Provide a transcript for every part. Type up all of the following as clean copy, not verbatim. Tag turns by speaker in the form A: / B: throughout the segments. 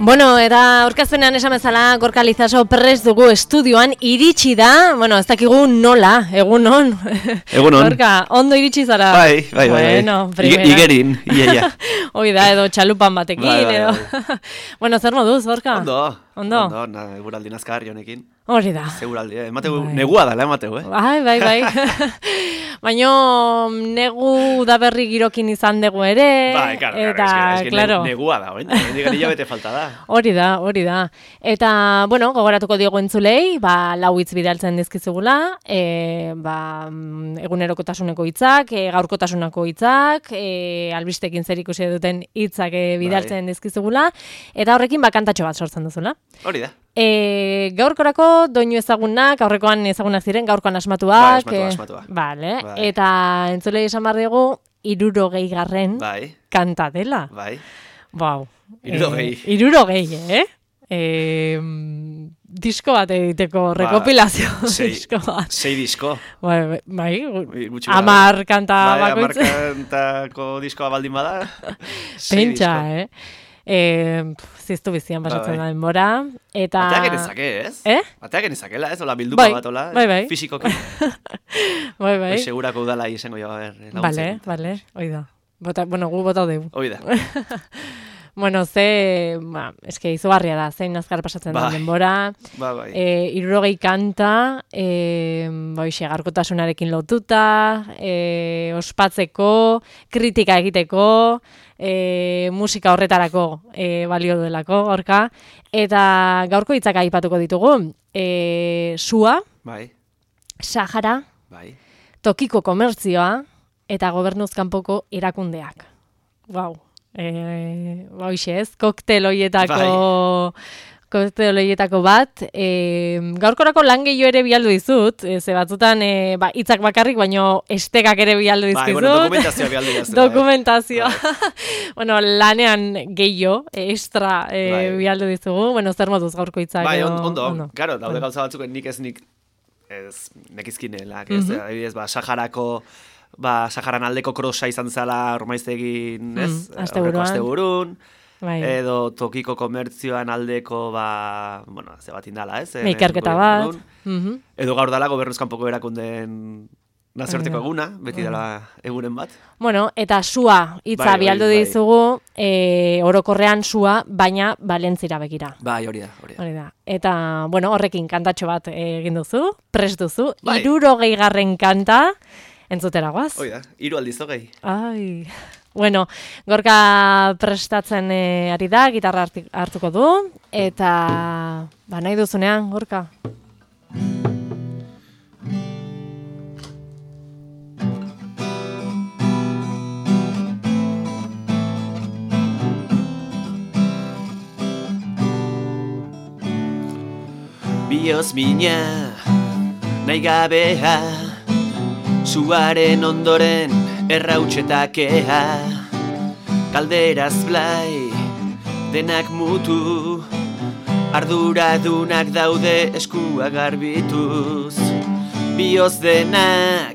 A: Bueno, eta aurkezpenean esan bezala Gorka Lizaso prest dugu estudioan iritsi da, bueno, ez dakigu nola, egunon.
B: Egunon.
A: Gorka, ondo iritsi zara?
B: Bai.
A: Bueno, primera.
B: Igerin, ia.
A: Hoi da, edo txalupan batekin,
B: Bai.
A: edo. Bueno, zer moduz, Gorka?
B: Ondo, eguraldi nazkarri honekin.
A: Hori da.
B: Seguraldi, emateu, negua dala emateu,
A: Bai. Baina negu da berri girokin izan dugu ere.
B: Bai, claro. Negua da, nire bete falta da.
A: Hori da. Eta, bueno, gogoratuko diogu entzulei, lau hitz bidaltzen dizkizugula, egunerokotasuneko hitzak, gaurkotasuneko hitzak, albistekin zer ikusi duten hitzak bidaltzen dizkizugula, eta horrekin kantatxo bat sortzen duzula.
B: Hori da.
A: Gaurkorako doinu ezagunak, aurrekoan ezagunak ziren, gaurkoan asmatuak.
B: Asmatua.
A: Vale. Eta entzulei esan behar dugu, 60. Kanta dela.
B: Bai.
A: Bau.
B: 60.
A: Disko bat egiteko rekopilazio disko bat.
B: 6 disko.
A: Bai. 10 kanta bakoitz.
B: 10 kantako diskoa baldin bada.
A: Pentsa, ziztu bizian pasatzen da denbora. Eta...
B: Bateak genezake, ez? Bateak genezakela, ez? Ola bildupa bat, ola.
A: Bai.
B: Fisikoki.
A: Bai.
B: Segurako udala izango jo,
A: Bale, oida. Bueno, gu bota deu.
B: Oida.
A: Bueno, eske izugarria da, zein azkar pasatzen da denbora.
B: Bai.
A: 60 kanta, garkotasunarekin lotuta, ospatzeko, kritika egiteko, musika horretarako balio duelako, Gorka. Eta gaurko hitzak aipatuko ditugu. Sua, Sahara, tokiko komertzioa, eta gobernuz kanpoko erakundeak. Wow. Koktel hoietako bat. Gaurkorako lan gehiago ere bialdu dizut, ze batzutan hitzak bakarrik, baino estekak ere bialdu dizkizut.
B: Dokumentazioa bialdu dizut.
A: Dokumentazioa. Bueno, lanean gehiago, extra bialdu dizugu. Bueno, zer moduz gaurko hitzak?
B: Bai, ondo. Claro, daude gauza batzuk nik nekizkinelak, ez? Adibidez, Saharan aldeko krosa izan zela ormaiztegin, ez? Asteburun. Edo tokiko komertzioan aldeko, ze bat indala, ez?
A: Ikerketa bat.
B: Edo gaur dala gobernuz kanpoko erakundeen nazioarteko eguna, beti dela egunen bat.
A: Bueno, eta sua hitza bialdu dizugu, orokorrean sua, baina Valentzira begira.
B: Bai, hori da.
A: Eta, bueno, horrekin kantatxo bat egin duzu, prest duzu, 60. kanta, entzutera guaz.
B: Hoi da, 3 aldiz hogei.
A: Ai. Bueno, Gorka prestatzen ari da, gitarra hartuko du, eta nahi duzunean, Gorka.
B: Bioz mina, nahi gabea, suaren ondoren errautxetakea, kalderaz blai, denak mutu, arduradunak daude eskua garbituz. Bioz denak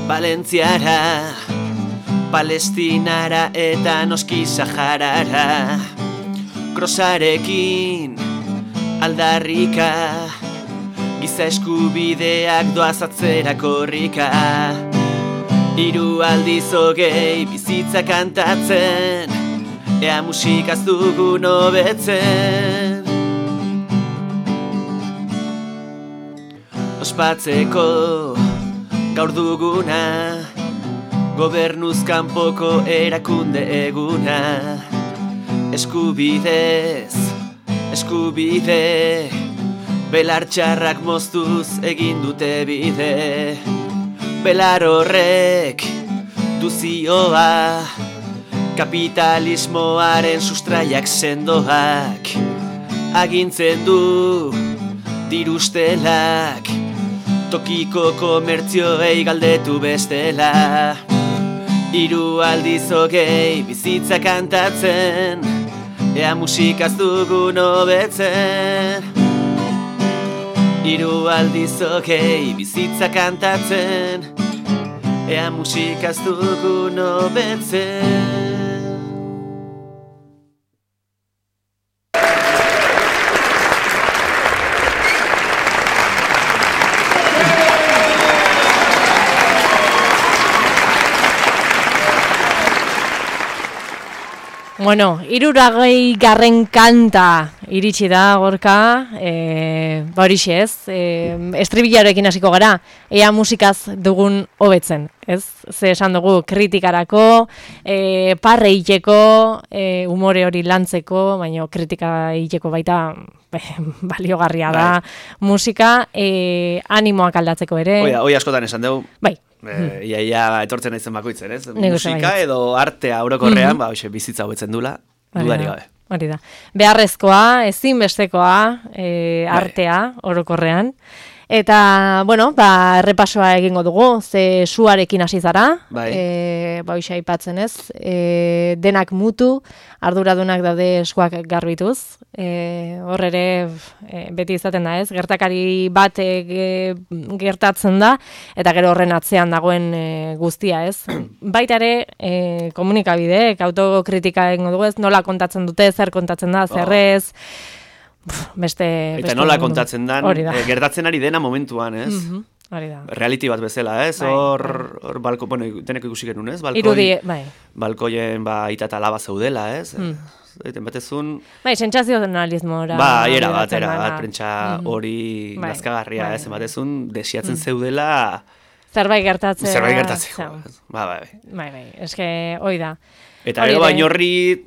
B: Valentziara, Palestinara eta noski Saharara, krosarekin aldarrika, giza eskubideak doaz atzera korrika. 3 aldiz hogei bizitza kantatzen, ea musikaz dugun hobetzen. Ospatzeko gaur duguna, gobernuz kanpoko erakunde eguna. Eskubide, belar txarrak moztuz egin dute bide. Belar horrek duzioa, kapitalismoaren sustraiak sendoak, agintzen du dirustelak, tokiko komertzioei galdetu bestela. 3 aldiz hogei bizitza kantatzen, ea musikaz dugun hobetzen. 3 aldiz hogei bizitza kantatzen, ea musikaz dugun hobetzen.
A: Bueno, 60. kanta iritsi da, Gorka, horixe ez, estribilarekin hasiko gara, ea musikaz dugun hobetzen, ez? Ze esan dugu kritikarako, parre iteko, umore hori lantzeko, baina kritika iteko baita baliogarria da musika, animoak aldatzeko ere.
B: Hoi askotan esan dugu.
A: Bai.
B: Iaia etortzen naizen bakoitzen, ez? Musika edo artea orokorrean, bizitza hobetzen dula, dudari gabe.
A: Hori da. Beharrezkoa, ezinbestekoa, artea orokorrean. Eta, bueno, errepasoa egingo dugu, ze suarekin hasi zara, hoxe aipatzen ez, denak mutu, arduradunak daude eskuak garbituz, hor ere beti izaten da ez, gertakari bat gertatzen da, eta gero horren atzean dagoen guztia ez. Baita ere, komunikabideek, autokritika egingo dugu ez, nola kontatzen dute, zer kontatzen da, zer ez,
B: eta nola kontatzen dan, gertatzen ari dena momentuan, ez?
A: Hori da.
B: Reality bat bezala, ez? Hor balko, bueno, teneko ikusi genuen, ez? Balkoien ita eta laba zeudela, ez? Zaiten batezun...
A: sentsazionalismora.
B: Era bat, prentsa hori nazkagarria, ez? Batezun, desiatzen zeudela...
A: Zerbait gertatzeko.
B: Bai.
A: Eske, hoi da.
B: Eta gero baino horri,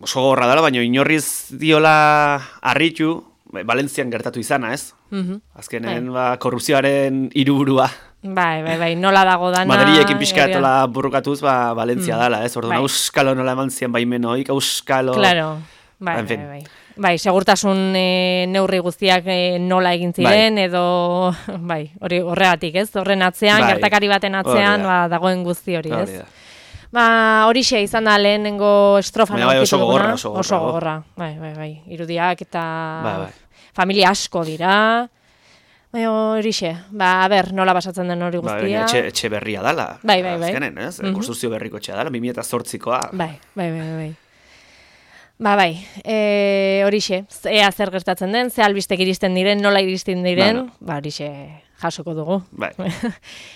B: oso gorra dela, baina inorriz diola harritu, Valentzian gertatu izana, ez? Azkenen, korrupzioaren hiruburua.
A: Bai, nola dago dana...
B: Madrilekin pixka etola burrukatuz, Valentzia dela, ez? Orduan, auskalo nola eman zian baimenoik, auskalo...
A: Claro, bai. Bai, segurtasun neurri guztiak nola egin ziren, edo... Bai, horregatik, ez? Horren atzean, gertakari baten atzean, dagoen guzti hori, ez? Horixe izan da lehenengo estrofan
B: oso gogorra.
A: Oso gogorra, bai. Irudiak eta familia asko dira. Horixe, nola basatzen den hori guztia.
B: Etxe berria dala.
A: Bai.
B: Azkenen, ez? Konstruzio berriko etxea dala, 2008koa.
A: Bai. Horixe, ea zer gertatzen den, ze albistek iristen diren, nola iristen diren, horixe... jasoko dugu.
B: Bai.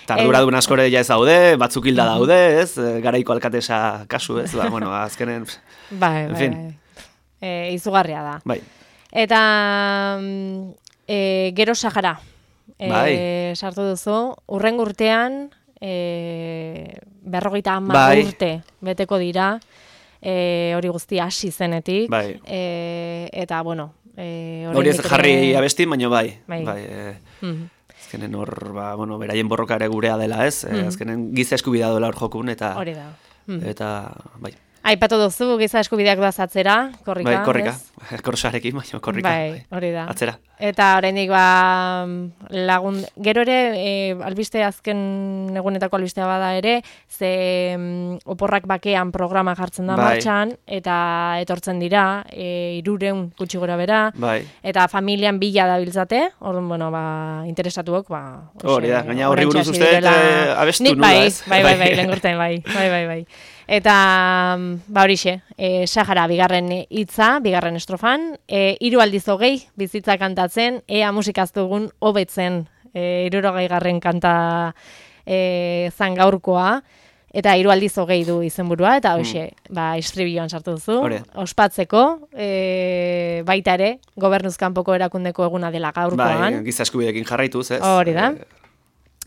B: Tarduradun askore ja ez daude, batzuk hilda daude, ez? Garaiko alkatesa kasu, ez? Azkenen...
A: Bai. Izugarria da.
B: Bai.
A: Eta gero Sahara. Sartu duzu, urrengo urtean, 50 urte beteko dira, hori guztia hasi zenetik.
B: Bai.
A: Eta, bueno...
B: Hori ez jarri abesti, baina bai. Azkenen hor, beraien borroka ere gurea dela, ez? Azkenen giza eskubidea dola hor jokun, eta...
A: Hori da.
B: Eta, bai.
A: Aipatu duzu, giza eskubideak doaz atzera, korrika,
B: ez? Bai, korrika. Korsarekin, baina korrika.
A: Bai, hori da.
B: Atzera.
A: Eta oraindik lagun... Gero ere, albiste azken egunetako albistea bada ere, ze oporrak bakean programa jartzen da martxan, eta etortzen dira, 300 gutxi gora bera, eta familian bila dabiltzate, orduan, interesatuok,
B: hori da, gaina horri buruz uste, abestu nula, ez?
A: Bai, lehengurten, bai. Eta, horixe, Sahara bigarren hitza, bigarren estrofan, 3 aldiz 20 bizitza kantatzen, ea musikaz dugun hobetzen, 60. kanta zan gaurkoa, eta 3 aldiz 20 du izenburua, eta hoxe, estribilloan sartu duzu, ospatzeko, baita ere, gobernuzkanpoko erakundeko eguna dela gaurkoan.
B: Bai, giza eskubideekin jarraituz, ez?
A: Hori da.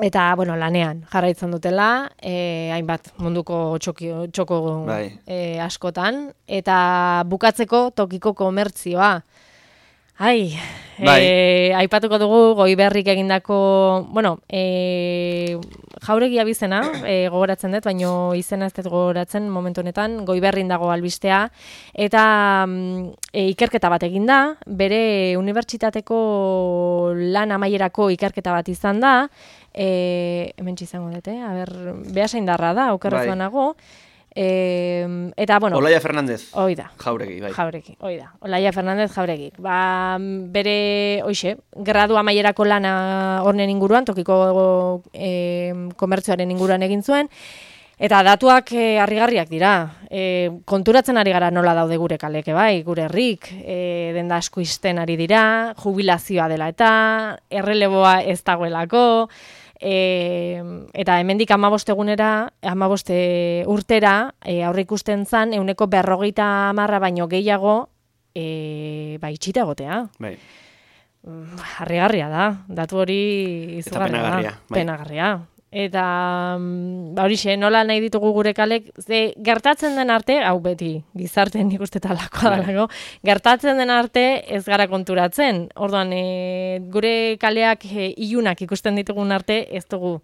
A: Eta, lanean jarraitzen dutela, hainbat munduko txoko askotan, eta bukatzeko tokiko komertzioa. Aipatuko dugu Goiberrik egindako, Jauregi abizena, gogoratzen dut, baina izena ez dut gogoratzen momentu honetan, Goiberrin dago albistea, eta ikerketa bat eginda, bere unibertsitateko lan amaierako ikerketa bat izan da, hementsi izango dute, behasaindarra da, okerrezuan nago, eta,
B: Olaia Fernandez.
A: Oida.
B: Jauregi, bai.
A: Jauregi, oida. Olaia Fernandez Jauregi. Bere, gradu amaierako lana horren inguruan, tokiko komertzioaren inguruan egin zuen, eta datuak harrigarriak dira. Konturatzen ari gara nola daude gure kaleke, bai, gure herrik, denda asko izten ari dira, jubilazioa dela eta, erreleboa ez dagoelako, eta hemendik 15 egunera, 15 urtera, aurre ikusten zan, 50% baino gehiago, itxita egotea.
B: Bai.
A: Harrigarria da, datu hori izugarria da. Penagarria. Eta horixe, nola nahi ditugu gure kalek, gertatzen den arte, hau beti, gizartean nik uste talakoa dalako, gertatzen den arte ez gara konturatzen. Orduan, gure kaleak ilunak ikusten ditugun arte, ez dugu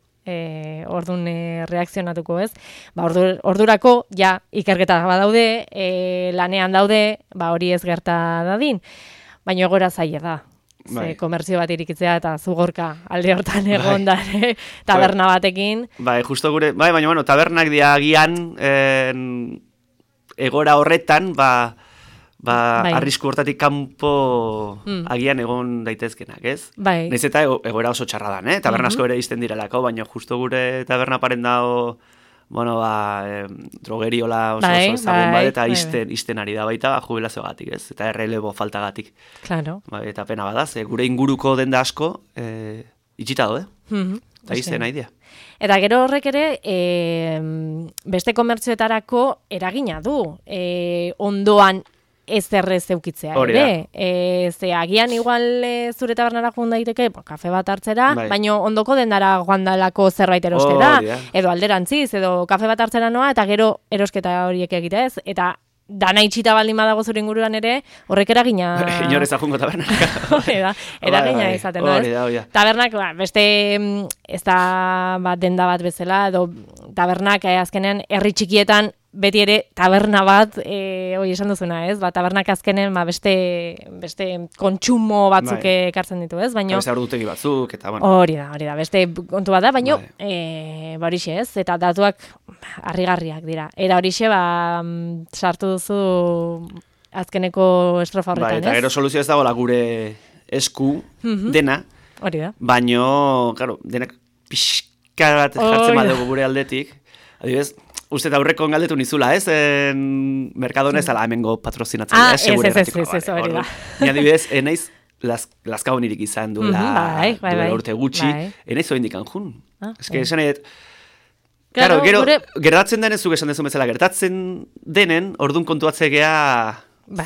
A: orduan reakzionatuko ez. Ordurako, ja, ikerketa badaude, lanean daude, hori ez gerta dadin, baina egoera zaila da. Komertzio bat irikitzea eta zugorka alde hortan egon da taberna batekin.
B: Justo gure, baina bueno, tabernak diagian egora horretan, arrisku hortatik kanpo agian egon daitezkenak, ez? Naiz eta egoera oso txarra dan, taberna asko ere izten direlako, baina justo gure taberna paren dago, drogeriola oso ezagun bat, eta izten ari da baita jubilazioagatik, ez? Eta errelebo faltagatik.
A: Claro.
B: Eta pena badaz, gure inguruko denda asko itxita dode. Eta izten nahi dira.
A: Eta gero horrek ere, beste komertzioetarako eragina du. Ondoan ez errez eukitzea ere. Ze agian igual zure tabernara joan daiteke, kafe bat hartzera, baina ondoko dendara joan dalako zerbait erostera, edo alderantziz, edo kafe bat hartzera noa, eta gero erosketa horiek egitea ez, eta dana itxita baldin badago zure inguruan ere, horrek eragina...
B: Inorez ajungo tabernak.
A: Eragina izaten, ez? Tabernak, beste, ez da denda bat bezala, edo tabernak azkenean herri txikietan beti ere taberna bat, hori esan duzuna, ez? Tabernak azkenen beste kontsumo batzuk ekartzen ditu, ez?
B: Beste ordutegi batzuk, eta bueno.
A: Hori da, beste kontu bat da, baina horixe, ez? Eta datuak harrigarriak dira. Era horixe, sartu duzu azkeneko estrofa horretan, ez?
B: Eta gero soluzio ez dagoela gure esku dena,
A: hori da.
B: Baina, claro, denak pixka bat jartzen badugu gure aldetik, adibidez, uste eta aurreko galdetu nizula, ez? Merkadona ez ala hemengo patrozinatzen.
A: Ez, hori da.
B: Ni adibidez, naiz laskaonirik izan duela urte gutxi, naiz oindikan jun. Ez que esan edo, claro, gero, gertatzen denez, zuk esan dezu bezala, gertatzen denen, ordun kontuatzegea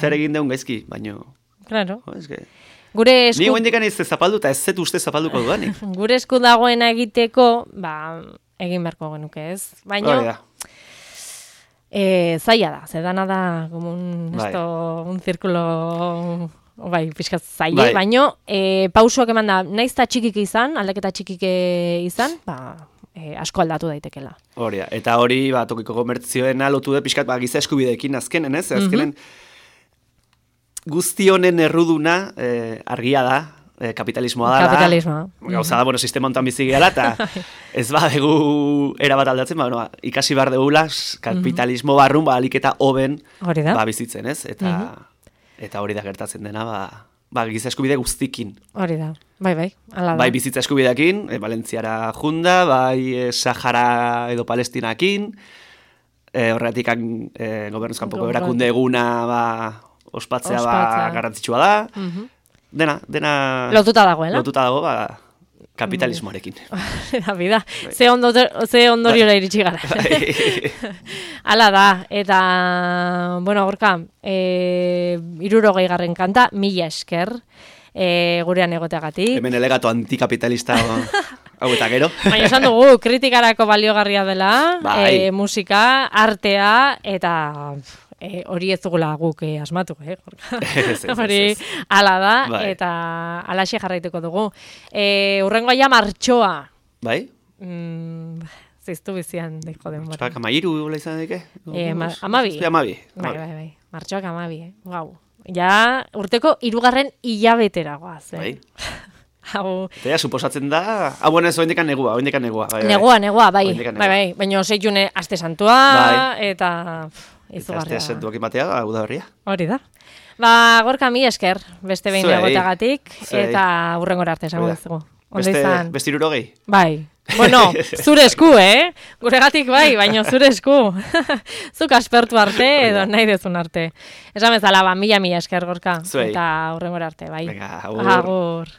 B: zer egin deun gaizki, baino...
A: Claro.
B: Ni oindikan ez zapaldu eta ez zetu uste zapalduko dudanik.
A: Gure esku dagoena egiteko, egin beharko genuke, ez? Baina... zaila da, zedana da como un círculo pixkat zaila, baina pausoak eman da, naiz eta txikik izan, aldaketa txikik izan, asko aldatu daitekela.
B: Hori da, eta hori tokiko komertzioen lotu da pixkat giza eskubideekin azkenen, ez? Azkenen guzti honen erruduna argia da, kapitalismoa dala.
A: Kapitalismoa.
B: Gauza da, sistema hontan bizi gehala, eta ez badegu erabat aldatzen, ikasi behar degula, kapitalismo barrun, aliketa hoben bizitzen, ez? Eta hori da gertatzen dena, giza eskubide guztikin.
A: Hori da, bai, ala da.
B: Bai bizitza eskubideakin, Valentziara junda, bai Sahara edo Palestinakin, horretik gobernuzkanpoko erakunde eguna ospatzea garrantzitsua da, dena
A: lotuta dagoela.
B: Lotuta dago, kapitalismoarekin.
A: Da, bida. Ze ondoriora iritsi gara. Hala da, eta, bueno, Gorka, 60. kanta, 1000 esker, gurean egoteagatik.
B: Hemen elegato antikapitalista hau eta gero.
A: Baina esan dugu, kritikarako baliogarria dela, musika, artea, eta... hori ez dugula guk asmatu, hori ala da, eta alaxe jarraituko dugu. Urrengoa ja martxoa.
B: Bai?
A: Ziztu bizian, deko denbora.
B: Martxoak 13 gola izan dike?
A: 12. Bai, martxoak 12, gau. Ja, urteko 3. hilabetera goaz.
B: Bai. Eta suposatzen da... bueno, ez, oindekan negua.
A: Negua, bai. Baina 6 june aste santua, eta...
B: Aste santuak imatea, hau da berria.
A: Hori da. Gorka, 1000 esker, beste behin egoteagatik, eta hurrengora arte esango dugu.
B: Beste 60?
A: Bai. Bueno, zure esku, Guregatik bai, baina zure esku. Zuk aspertu arte, edo nahi dezun arte. Esan bezala, 1000 esker, Gorka. Eta hurrengora arte, bai.
B: Venga, agur.
A: Agur.